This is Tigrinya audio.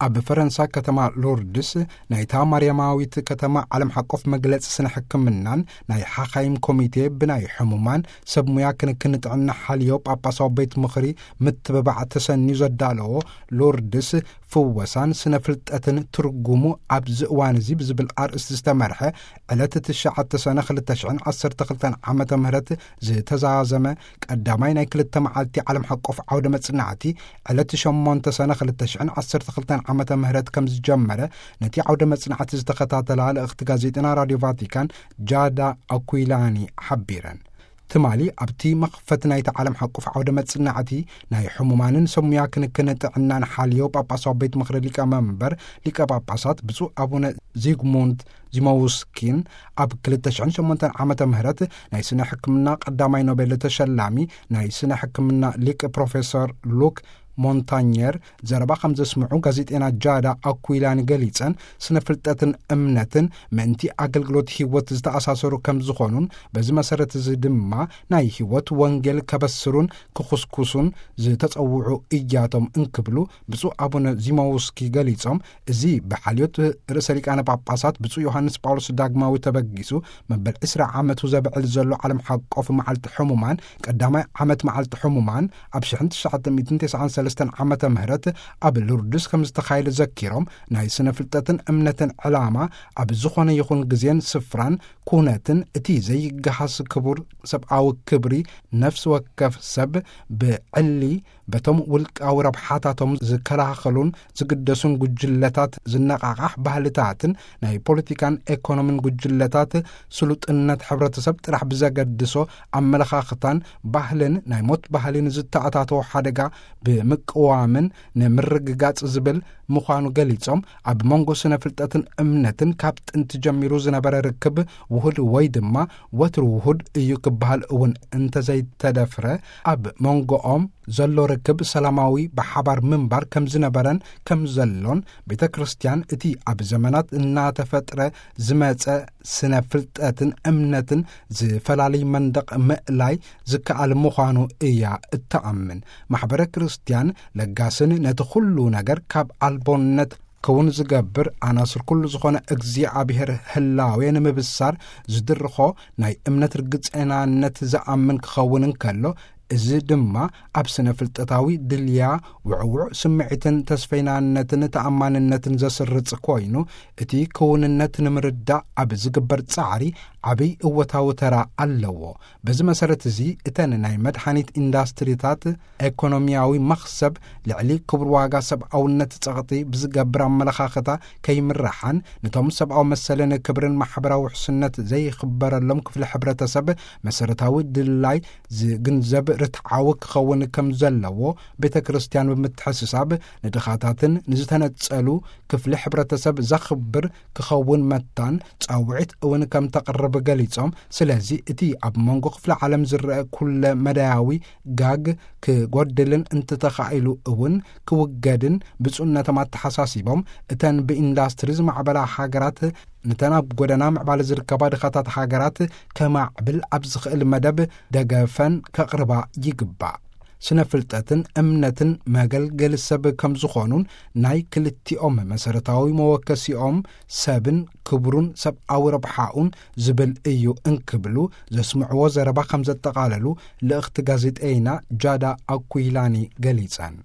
ኣብ ፈረንሳ ከተማ ሎርድስ ናይታ ማርያማዊት ከተማ ዓለም ሓቆፍ መግለጺ ስነ ሕክምናን ናይ ሓኻይም ኮሚቴ ብናይ ሕሙማን ሰብ ሙያ ክንክን ጥዕና ሓልዮ ጳጳሳዊ ቤት ምኽሪ ምትብባዕ ተሰንዩ ዘዳለዎ ሎርድስ ፍወሳን ስነ ፍልጠትን ትርጉሙ ኣብዚ እዋን እዚ ብዝብል ኣርእስቲ ዝተመርሐ ዕለት ትሽዓተ ሰነ ክልተ ሽሕን ዓሰርተ ክልተን ዓመተ ምህረት ዝተዛዘመ ቀዳማይ ናይ ክልተ መዓልቲ ዓለም ሓቆፍ ዓውደ መጽናዕቲ ዕለት ሸሞንተ ሰነ ክልተ ሽሕን ዓሰርተ ክልተን ዓመተ ምህረት ከም ዝጀመረ ነቲ ዓውደ መጽናዕቲ ዝተኸታተላ ልእኽቲ ጋዜጠና ራድዮ ቫቲካን ጃዳ ኣኩይላኒ ሓቢረን። ትማሊ ኣብቲ መኽፈቲ ናይቲ ዓለም ሓቆፍ ዓውደ መጽናዕቲ ናይ ሕሙማንን ሰብ ሙያ ክንክን ጥዕናን ሓልዮ ጳጳሳዊ ቤት ምኽሪ ሊቀ መንበር ሊቀ ጳጳሳት ብፁዕ ኣቡነ ዚግሙንት ዚሞውስኪን ኣብ ክልተ ሽሕን ሸሞንተን ዓመተ ምህረት ናይ ስነ ሕክምና ቀዳማይ ኖቤል ተሸላሚ ናይ ስነ ሕክምና ሊቅ ፕሮፌሰር ሉክ ሞንታኘር ዘረባ ከም ዘስምዑ ጋዜጤና ጃዳ ኣኩይላኒ ገሊጸን፣ ስነ ፍልጠትን እምነትን ምእንቲ ኣገልግሎት ህይወት ዝተኣሳሰሩ ከም ዝኾኑን በዚ መሰረት እዚ ድማ ናይ ህይወት ወንጌል ከበስሩን ክኹስኩሱን ዝተጸውዑ እያቶም እንክብሉ ብፁዕ ኣቡነ ዚሞውስኪ ገሊጾም፣ እዚ ብሓልዮት ርእሰ ሊቃነ ጳጳሳት ብፁዕ ዮሃንስ ጳውሎስ ዳግማዊ ተበጊሱ መበል ዕስራ ዓመቱ ዘብዕል ዘሎ ዓለም ሓቆፍ መዓልቲ ሕሙማን ቀዳማይ ዓመት መዓልቲ ሕሙማን ኣብ ሽሕን ትሽዓተ ሚእትን ተስዓን ሰለስተን ዓመተ ምህረት ኣብ ሉርድስ ከም ዝተኻየደ ዘኪሮም፣ ናይ ስነ ፍልጠትን እምነትን ዕላማ ኣብ ዝኾነ ይኹን ግዜን ስፍራን ኩነትን እቲ ዘይገሃስ ክቡር ሰብኣዊ ክብሪ ነፍሲ ወከፍ ሰብ ብዕሊ በቶም ውልቃዊ ረብሓታቶም ዝከላኸሉን ዝግደሱን ጉጅለታት ዝነቓቓሕ ባህልታትን ናይ ፖለቲካን ኤኮኖሚን ጉጅለታት ስሉጥነት ሕብረተሰብ ጥራሕ ብዘገድሶ ኣመለኻኽታን ባህልን ናይ ሞት ባህልን ዝተኣታተወ ሓደጋ ብምቅዋምን ንምርግጋጽ ዝብል ምዃኑ ገሊጾም፣ ኣብ መንጎ ስነ ፍልጠትን እምነትን ካብ ጥንቲ ጀሚሩ ዝነበረ ርክብ ውሁድ ወይ ድማ ወትሩ ውሁድ እዩ ክበሃል እውን እንተዘይተደፍረ፣ ኣብ መንጎኦም ዘሎ ርክብ ሰላማዊ ብሓባር ምንባር ከም ዝነበረን ከም ዘሎን፣ ቤተ ክርስቲያን እቲ ኣብ ዘመናት እናተፈጥረ ዝመጸ ስነ ፍልጠትን እምነትን ዝፈላልይ መንደቕ ምእላይ ዝከኣል ምዃኑ እያ እተኣምን። ማሕበረ ክርስቲያን ለጋስን ነቲ ኩሉ ነገር ካብ ኣልቦነት ክውን ዝገብር ኣናስር ኩሉ ዝኾነ እግዚኣብሔር ህላዌ ንምብሳር ዝድርኾ ናይ እምነት ርግጸናነት ዝኣምን ክኸውን እንከሎ፣ እዚ ድማ ኣብ ስነ ፍልጠታዊ ድልያ ውዕውዕ ስምዒትን ተስፈይናነትን ተኣማንነትን ዘስርጽ ኮይኑ፣ እቲ ክውንነት ንምርዳእ ኣብ ዝግበር ጻዕሪ ዓብይ እወታዊ ተራ ኣለዎ። በዚ መሰረት እዚ እተን ናይ መድሓኒት ኢንዳስትሪታት ኤኮኖሚያዊ መኽሰብ ልዕሊ ክቡር ዋጋ ሰብኣውነት ጸቕጢ ብዝገብር ኣመለኻኽታ ከይምርሓን፣ ነቶም ሰብኣዊ መሰልን ክብርን ማሕበራዊ ውሕስነት ዘይኽበረሎም ክፍሊ ሕብረተሰብ መሰረታዊ ድላይ ዝግንዘብ ርትዓዊ ክኸውን ከም ዘለዎ ቤተ ክርስቲያን ብምትሕስሳብ፣ ንድኻታትን ንዝተነጸሉ ክፍሊ ሕብረተሰብ ዘኽብር ክኸውን መታን ጻውዒት እውን ከም ተቕርብ ገሊጾም፣ ስለዚ እቲ ኣብ መንጎ ክፍለ ዓለም ዝረአ ኩለ መዳያዊ ጋግ ክጎድልን እንተተኻኢሉ እውን ክውገድን ብፁዕነቶም ኣተሓሳሲቦም፣ እተን ብኢንዳስትሪ ዝማዕበላ ሃገራት ንተን ኣብ ጎደና ምዕባለ ዝርከባ ድኻታት ሃገራት ከማዕብል ኣብ ዝኽእል መደብ ደገፈን ከቕርባ ይግባእ። ስነ ፍልጠትን እምነትን መገልገሊ ሰብ ከም ዝኾኑን ናይ ክልቲኦም መሰረታዊ መወከሲኦም ሰብን ክብሩን ሰብኣዊ ረብሓኡን ዝብል እዩ እንክብሉ ዘስምዕዎ ዘረባ ከም ዘጠቓለሉ ልእኽቲ ጋዜጠይና ጃዳ ኣኩይላኒ ገሊጸን።